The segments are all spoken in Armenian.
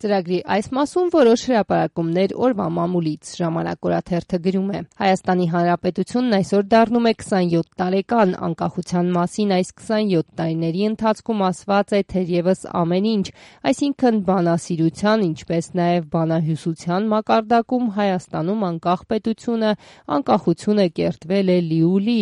Ծրագրի այս մասում որոշ հրապարակումներ օրվա մամուլից ժամանակ օրաթերթը գրում է. Հայաստանի Հանրապետությունն այսօր դառնում է 27 տարեկան, անկախության մասին այս 27 տարիների ընթացքում ասված է թերևս ամեն ինչ, այսինքն բանասիրության, ինչպես նաև բանահյուսության մակարդակում Հայաստանում անկախ պետությունը, անկախությունը կերտվել է լիուլի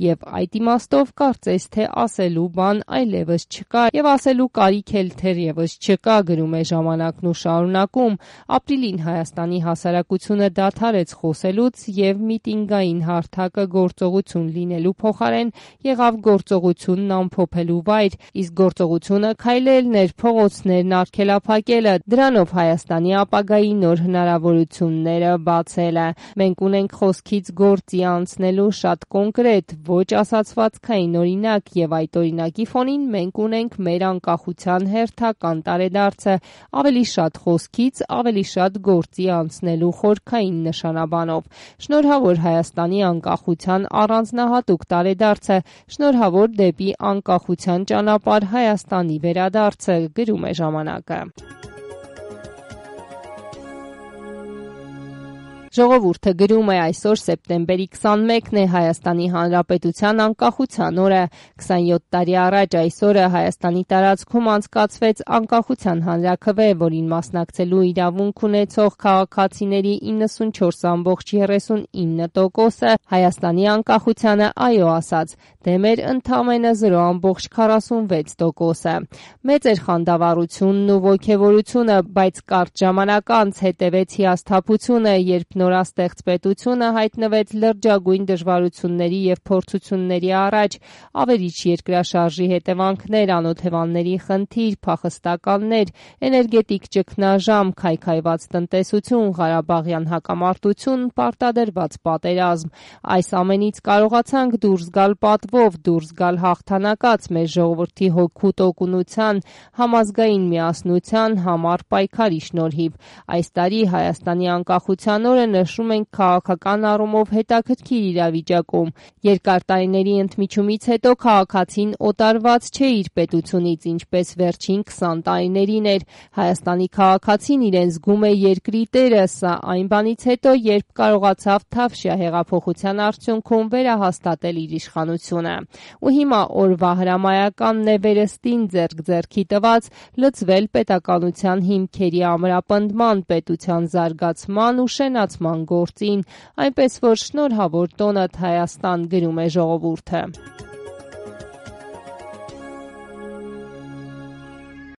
եւ այդ իմաստով կարծես թե ասելու բան այլևս չկա եւ ասելու կարիք էլ թերևս չկա, գրում է ժամանակն ու շարունակում. ապրիլին Հայաստանի հասարակությունը դադարեց խոսելուց եւ միտինգային հարթակը գործողություն լինելու փոխարեն եղավ գործողությունն ամփոփելու վայր, իսկ գործողությունը քայլելն էր, փողոցներն արգելափակելը, դրանով Հայաստանի ապագայի նոր հնարավորությունները բացելը։ Մենք ունենք խոսքից գործի անցնելու շատ կոնկրետ, ոչ ասացվածքային օրինակ եւ այդ օրինակի ֆոնին մենք ունենք մեր անկախության հերթական տարեդարձը ավելի շատ խոսքից, ավելի շատ գործի անցնելու խորքային նշանաբանով։ Շնորհավոր Հայաստանի անկախության առանձնահատուկ տարեդարձը, շնորհավոր դեպի անկախության ճանապարհ Հայաստանի վերադարձը, գրում է ժամանակը։ Ժողովուրդը գրում է այսօր սեպտեմբերի 21-ն է Հայաստանի Հանրապետության անկախության օրը։ 27 տարի առաջ այս օրը Հայաստանի տարածքում անցկացվեց անկախության հանրաքվե, որին մասնակցելու իրավունք ունեցող քաղաքացիների 94.39%-ը Հայաստանի անկախությանը այո ասաց, դեմ էր ընդամենը 0.46%-ը։ Մեծ էր խանդավառությունն ու ոգևորությունը, բայց կարճ ժամանակ անց հետևեց հիասթափությունը, երբ նորաստեղծ պետությունը հայտնվեց լրջագույն դժվարությունների եւ փորձությունների առաջ, ավերիչ երկրաշարժի հետևանքներ, անօթևանների խնդիր, փախստականներ, էներգետիկ ճգնաժամ, քայքայված տնտեսություն, Ղարաբաղյան հակամարտություն, պարտադրված պատերազմ։ Այս ամենից կարողացանք դուրս գալ պատվով, դուրս գալ հաղթանակած մեր ժողովրդի հոգու տոկունության, համազգային միասնության, համառ պայքարի շնորհիվ։ Այս տարի Հայաստանի անկախության օրը նշում ենք քաղաքական առումով հետաքրքիր իրավիճակում։ Երկար տարիների ընդմիջումից հետո քաղաքացին օտարված չէ իր պետությունից, ինչպես վերջին 20 տարիներին էր։ Հայաստանի քաղաքացին իրեն զգում է երկրի տերը, սա այն բանից հետո, երբ կարողացավ Թավշյա հեղափոխության արդյունքում վերահաստատել իր իշխանությունը։ Ու հիմա օրվա հրամայականն է վերստին ձեռք-ձեռքի տված լծվել պետականության հիմքերի ամրապնդման, պետության զարգացման ու շենացման գործին, այնպես որ շնորհավոր տոնդ Հայաստան, գրում է ժողովուրդը։